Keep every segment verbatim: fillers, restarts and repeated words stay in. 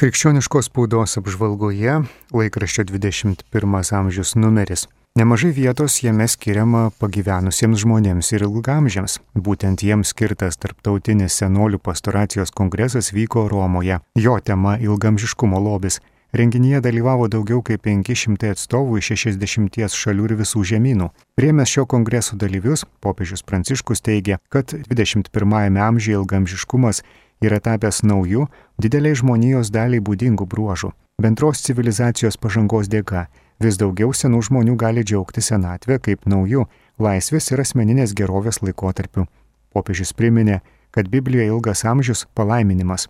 Krikščioniškos spaudos apžvalgoje laikraščio dvidešimt pirmas amžius numeris. Nemažai vietos jame skiriama pagyvenusiems žmonėms ir ilgamžiams. Būtent jiems skirtas tarptautinis senolių pastoracijos kongresas vyko Romoje. Jo tema ilgamžiškumo lobis. Renginyje dalyvavo daugiau kaip penki šimtai atstovų iš šešiasdešimties šalių ir visų žemynų. Priėmęs šio kongreso dalyvius, popiežius Pranciškus teigia, kad dvidešimt pirmajame amžiuje ilgamžiškumas yra tapęs naujų, dideliai žmonijos daliai būdingų bruožų. Bendros civilizacijos pažangos dėka vis daugiau senų žmonių gali džiaugti senatvę kaip naujų, laisvės ir asmeninės gerovės laikotarpiu. Popiežius priminė, kad Biblijoje ilgas amžius palaiminimas.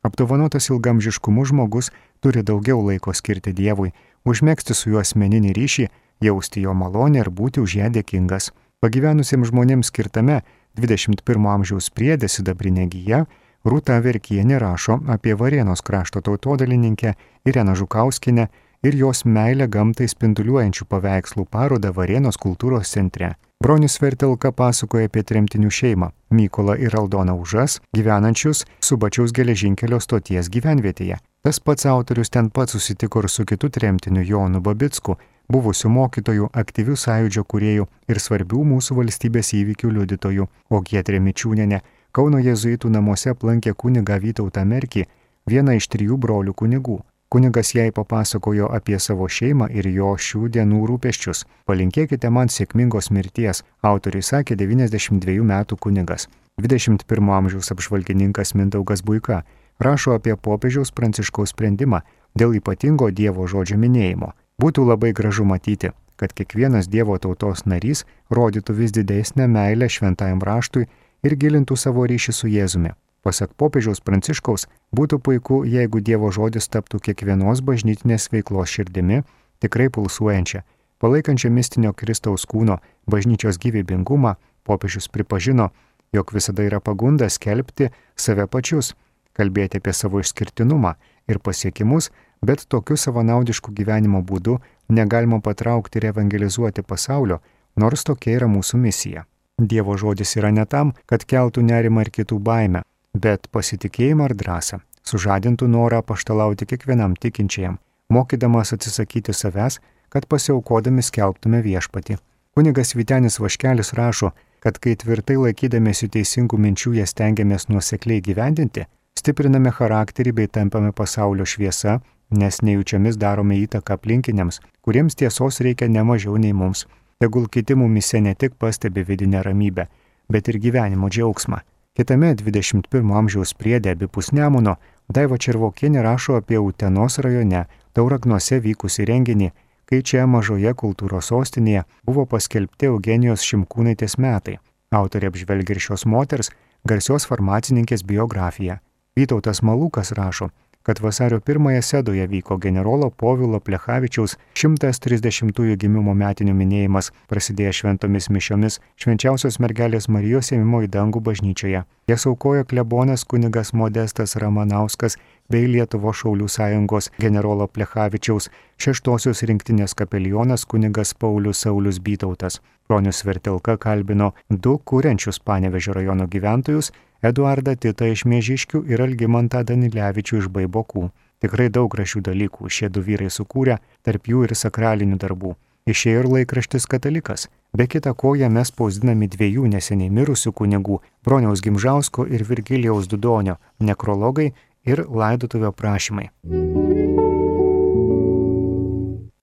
Apdovanotas ilgamžiškumu žmogus turi daugiau laiko skirti Dievui, užmegzti su juo asmeninį ryšį, jausti jo malonę ir būti už ją dėkingas. Pagyvenusiems žmonėms skirtame dvidešimt pirmo amžiaus priede sidabrinė gija Rūta Verkienė rašo apie Varėnos krašto tautodalininkę Ireną Žukauskienę ir jos meilę gamtai spinduliuojančių paveikslų parodą Varėnos kultūros centre. Bronius Vertelka pasakoja apie tremtinių šeimą Mykolą ir Aldoną Užas, gyvenančius Subačiaus geležinkelio stoties gyvenvietėje. Tas pats autorius ten pat susitiko ir su kitu tremtiniu Jonu Babicku, buvusiu mokytoju, aktyvių sąjūdžio kūrėjų ir svarbių mūsų valstybės įvykių liudytojų, o Giedrė Mičiūnienė Kauno jėzuitų namuose aplankė kunigą Vytautą Merkį, vieną iš trijų brolių kunigų. Kunigas jai papasakojo apie savo šeimą ir jo šių dienų rūpesčius. Palinkėkite man sėkmingos mirties, autoriui sakė devyniasdešimt dviejų metų kunigas. dvidešimt pirmo amžiaus apžvalgininkas Mindaugas Buika rašo apie popiežiaus Pranciškaus sprendimą dėl ypatingo Dievo žodžio minėjimo. Būtų labai gražu matyti, kad kiekvienas Dievo tautos narys rodytų vis didesnę meilę šventajam raštui ir gilintų savo ryšį su Jėzumi. Pasak popiežiaus Pranciškaus, būtų puiku, jeigu Dievo žodis taptų kiekvienos bažnytinės veiklos širdimi, tikrai pulsuojančia, palaikančia mistinio Kristaus kūno bažnyčios gyvybingumą. Popiežius pripažino, jog visada yra pagunda skelbti save pačius, kalbėti apie savo išskirtinumą ir pasiekimus, bet tokiu savanaudišku gyvenimo būdu negalima patraukti ir evangelizuoti pasaulio, nors tokia yra mūsų misija. Dievo žodis yra ne tam, kad keltų nerimą ir kitų baimę, bet pasitikėjimą ar drąsą, sužadintų norą paštalauti kiekvienam tikinčiajam, mokydamas atsisakyti savęs, kad pasiaukodami skelbtume viešpatį. Kunigas Vytenis Vaškelis rašo, kad kai tvirtai laikydamėsi teisingų minčių jas stengiamės nuosekliai gyvendinti, stipriname charakterį bei tampame pasaulio šviesa, nes nejučiamis darome įtaką aplinkiniams, kuriems tiesos reikia ne mažiau nei mums. Tegul kiti mumise ne tik pastebi vidinę ramybę, bet ir gyvenimo džiaugsmą. Kitame dvidešimt pirmo amžiaus priede abipus Nemuno Daiva Červokienė rašo apie Utenos rajone Tauragnuose vykusį renginį, kai čia mažoje kultūros sostinėje buvo paskelbti Eugenijos Šimkūnaitės metai. Autorė apžvelgia ir šios moters, garsios farmacininkės biografiją. Vytautas Malūkas rašo, kad vasario pirmąją Sedoje vyko generolo Povilo Plechavičiaus šimtas trisdešimtųjų gimimo metinių minėjimas, prasidėjo šventomis mišiomis Švenčiausios mergelės Marijos ėmimo į dangų bažnyčioje. Jas aukojo klebonas kunigas Modestas Ramanauskas bei Lietuvos šaulių sąjungos generolo Plechavičiaus šeštosios rinktinės kapelionas kunigas Paulius Saulius Bytautas. Bronius Vertelka kalbino du kuriančius Panevėžio rajono gyventojus, Eduardą Titą iš Miežiškių ir Algimantą Danilevičių iš Baibokų. Tikrai daug gražių dalykų šie du vyrai sukūrė, tarp jų ir sakralinių darbų. Išėjo ir laikraštis Katalikas. Be kita ko jame spausdinami dviejų neseniai mirusių kunigų Broniaus Gimžausko ir Virgilijaus Dudonio nekrologai ir laidotuvio prašymai.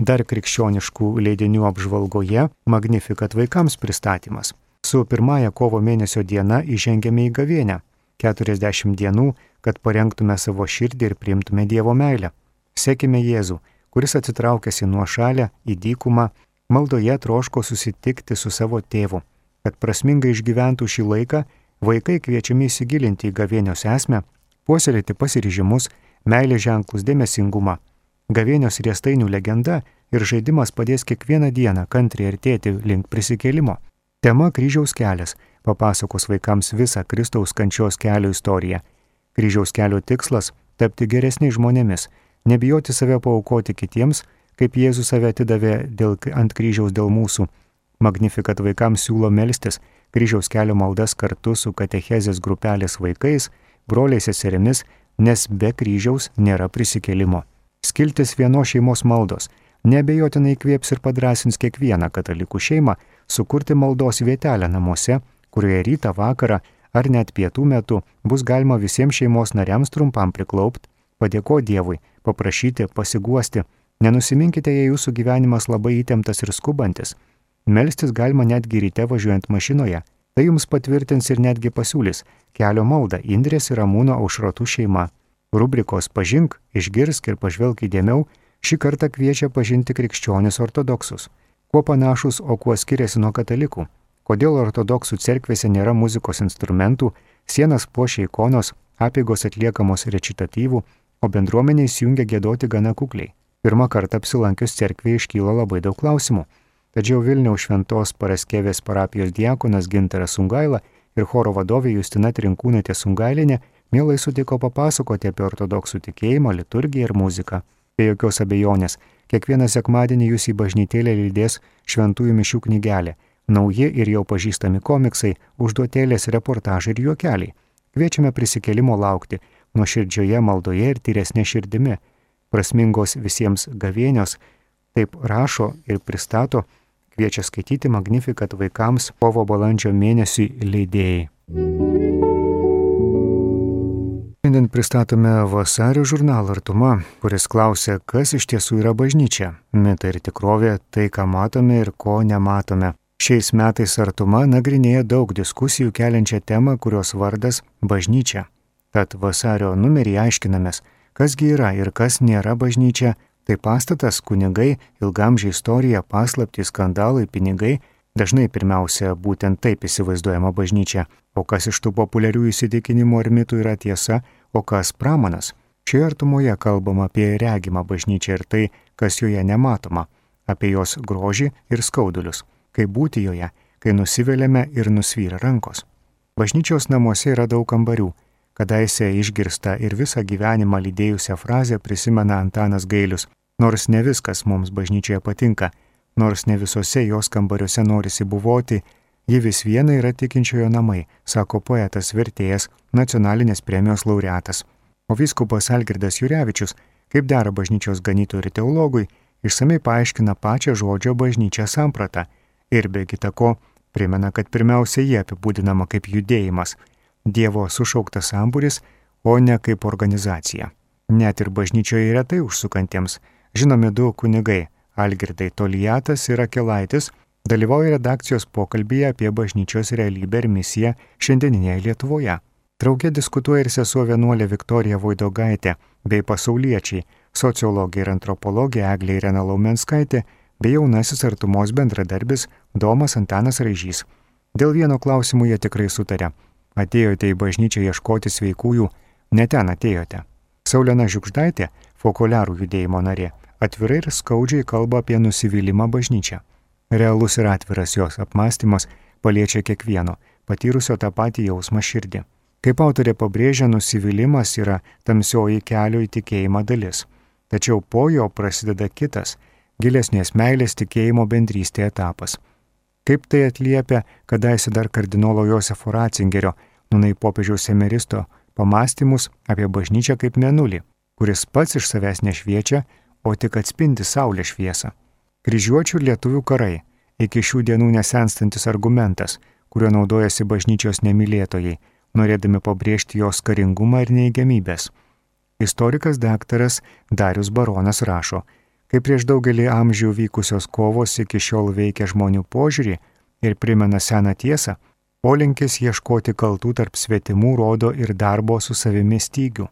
Dar krikščioniškų leidinių apžvalgoje Magnificat vaikams pristatymas. Su pirmąja kovo mėnesio diena įžengėme į gavėnią. keturiasdešimt dienų, kad parengtume savo širdį ir priimtume Dievo meilę. Sekime Jėzų, kuris atsitraukęs į nuošalę, į dykumą, maldoje troško susitikti su savo tėvu. Kad prasmingai išgyventų šį laiką, vaikai kviečiami įsigilinti į gavėnios esmę, puoselėti pasiryžimus, meilės ženklus, dėmesingumą. Gavėnios riestainių legenda ir žaidimas padės kiekvieną dieną kantriai artėti link prisikėlimo. Tema kryžiaus kelias papasakos vaikams visą Kristaus kančios kelio istoriją. Kryžiaus kelio tikslas – tapti geresniais žmonėmis, nebijoti save paaukoti kitiems, kaip Jėzus save atidavė dėl, ant kryžiaus dėl mūsų. Magnificat vaikams siūlo melstis kryžiaus kelio maldas kartu su katechezės grupelės vaikais, broliais seserimis, nes be kryžiaus nėra prisikėlimo. Skiltis vienos šeimos maldos neabejotinai įkvėps ir padrąsins kiekvieną katalikų šeimą sukurti maldos vietelę namuose, kurioje rytą, vakarą ar net pietų metu bus galima visiems šeimos nariams trumpam priklaupti, padėkoti Dievui, paprašyti, pasiguosti. Nenusiminkite, jei jūsų gyvenimas labai įtemptas ir skubantis. Melstis galima netgi ryte važiuojant mašinoje. Tai jums patvirtins ir netgi pasiūlys kelio maldą Indrės ir Ramūno Aušrotų šeima. Rubrikos Pažink, išgirsk ir pažvelk įdėmiau šį kartą kviečia pažinti krikščionis ortodoksus. Kuo panašus, o kuo skiriasi nuo katalikų? Kodėl ortodoksų cerkvėse nėra muzikos instrumentų, sienas puošia ikonos, apeigos atliekamos rečitatyvų, o bendruomenė įsijungia giedoti gana kukliai? Pirmą kartą apsilankius cerkvėje iškyla labai daug klausimų. Tačiau Vilniaus Šventos Paraskevės parapijos diakonas Gintaras Sungaila ir choro vadovė Justina Trinkūnaitė Sungailinė mielai sutiko papasakoti apie ortodoksų tikėjimą, liturgiją ir muziką. Be jokios abejonės, kiekvieną sekmadienį jūs į bažnytėlę lydės šventųjų mišių knygelė, nauji ir jau pažįstami komiksai, užduotėlės, reportažai ir juokeliai. Kviečiame prisikėlimo laukti nuoširdžioje maldoje ir tyresnė širdimi. Prasmingos visiems gavėnios, taip rašo ir pristato, kviečia skaityti Magnificat vaikams kovo balandžio mėnesiui leidėjai. Šiandien pristatome vasario žurnalą Artuma, kuris klausia, kas iš tiesų yra bažnyčia. Mitai ir tikrovė, tai ką matome ir ko nematome. Šiais metais Artuma nagrinėja daug diskusijų keliančią temą, kurios vardas bažnyčia. Tad vasario numerį aiškinamės, kasgi yra ir kas nėra bažnyčia. Tai pastatas, kunigai, ilgamžiai istorija, paslaptys, skandalai, pinigai. Dažnai pirmiausia būtent taip įsivaizduojama bažnyčia. O kas iš tų populiarių įsitikinimų ar mitų yra tiesa, o kas pramanas? Šioje Artumoje kalbama apie regimą bažnyčią ir tai, kas joje nematoma, apie jos grožį ir skaudulius, kaip būti joje, kai nusiveliame ir nusvyra rankos. Bažnyčios namuose yra daug kambarių. Kadaise išgirsta ir visą gyvenimą lydėjusią frazę prisimena Antanas Gailius. Nors ne viskas mums bažnyčioje patinka, nors ne visose jos kambariuose norisi buvoti, ji vis viena yra tikinčiojo namai, sako poetas vertėjas, nacionalinės premijos laureatas. O vyskupas Algirdas Jurevičius, kaip dera bažnyčios ganytojui ir teologui, išsamei paaiškina pačią žodžio bažnyčią sampratą ir be kita ko primena, kad pirmiausia jie apibūdinama kaip judėjimas, Dievo sušauktas sambūris, o ne kaip organizacija. Net ir bažnyčioje retai užsukantiems žinomi du kunigai, Algirdai Toliatas ir Akelaitis, dalyvauja redakcijos pokalbyje apie bažnyčios realybę ir misiją šiandieninėje Lietuvoje. Drauge diskutuoja ir sesuo vienuolė Viktorija Voidogaitė bei pasauliečiai, sociologė ir antropologė Eglė Irena Laumenskaitė bei jaunasis Artumos bendradarbis Domas Antanas Raižys. Dėl vieno klausimų jie tikrai sutarė. Atėjote į bažnyčią ieškoti sveikųjų, ne ten atėjote. Saulena Žiugždaitė, Fokuliarų judėjimo narė, atvirai ir skaudžiai kalba apie nusivylimą bažnyčią. Realus ir atviras jos apmąstymas paliečia kiekvieno, patyrusio tą patį jausmą širdį. Kaip autorė pabrėžia, nusivylimas yra tamsioji kelio į tikėjimą dalis. Tačiau po jo prasideda kitas, gilesnės meilės tikėjimo bendrystė etapas. Kaip tai atliepia kadaise dar kardinolo Josefo Ratzingerio, nūnai popiežiaus emeristo, pamąstymus apie bažnyčią kaip mėnulį, kuris pats iš savęs nešviečia, o tik atspindi saulės šviesą. Kryžiuočių ir lietuvių karai, iki šių dienų nesenstantis argumentas, kuriuo naudojasi bažnyčios nemylėtojai, norėdami pabrėžti jos karingumą ir neigiamybės. Istorikas daktaras Darius Baronas rašo, kai prieš daugelį amžių vykusios kovos iki šiol veikia žmonių požiūrį ir primena seną tiesą, polinkis ieškoti kaltų tarp svetimų rodo ir darbo su savimi stygių.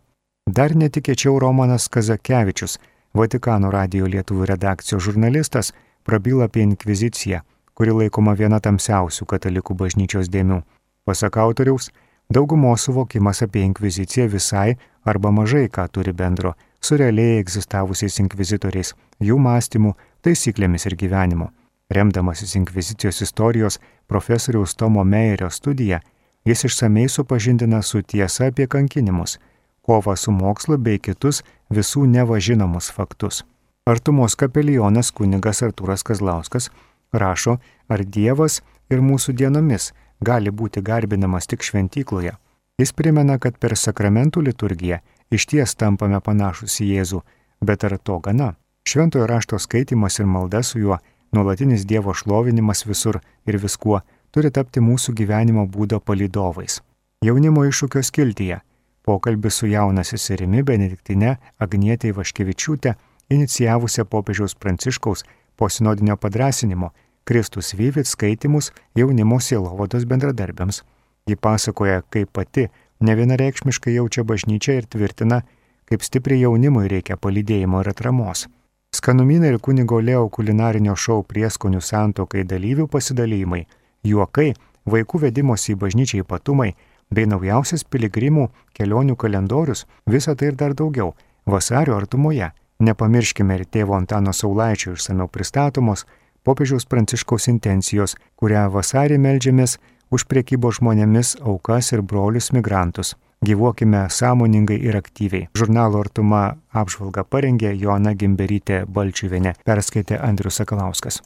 Dar netikėčiau Romanas Kazakevičius, Vatikano radijo lietuvių redakcijos žurnalistas, prabyla apie inkviziciją, kuri laikoma viena tamsiausių katalikų bažnyčios dėmių. Pasak autoriaus, daugumos suvokimas apie inkviziciją visai arba mažai ką turi bendro su realiai egzistavusiais inkvizitoriais, jų mąstymu, taisyklėmis ir gyvenimu. Remdamasis inkvizicijos istorijos profesoriaus Tomo Meijerio studija, jis išsamei supažindina su tiesa apie kankinimus, kovą su mokslu bei kitus visų nevažinomus faktus. Artumos kapelionas kunigas Artūras Kazlauskas rašo, ar Dievas ir mūsų dienomis gali būti garbinamas tik šventykloje. Jis primena, kad per sakramentų liturgiją išties tampame panašus į Jėzų, bet ar to gana? Šventojo rašto skaitimas ir malda su juo, nuolatinis Dievo šlovinimas visur ir viskuo turi tapti mūsų gyvenimo būdo palydovais. Jaunimo iššūkio skiltyje pokalbis su jauna seserimi Benediktine Agnietė Ivaškevičiūtė, inicijavusią popiežiaus Pranciškaus po sinodinio padrąsinimo Kristus Vivit skaitimus jaunimo sielovados bendradarbiams. Ji pasakoja, kaip pati nevienareikšmiškai jaučia bažnyčią ir tvirtina, kaip stipriai jaunimui reikia palydėjimo ir atramos. Skanumynai ir kunigo Leo kulinarinio šou Prieskonių santuokai dalyvių pasidalymai, juokai, vaikų vedimosi į bažnyčią ypatumai bei naujausias piligrimų kelionių kalendorius, visa tai ir dar daugiau vasario artumoje. Nepamirškime ir tėvo Antano Saulaičio išsamiau pristatomos popiežiaus Pranciškaus intencijos, kurią vasarį meldžiamės už prekybos žmonėmis aukas ir brolius migrantus. Gyvuokime sąmoningai ir aktyviai. Žurnalo Artuma apžvalgą parengė Joana Gimberytė Balčiuvienė, perskaitė Andrius Sakalauskas.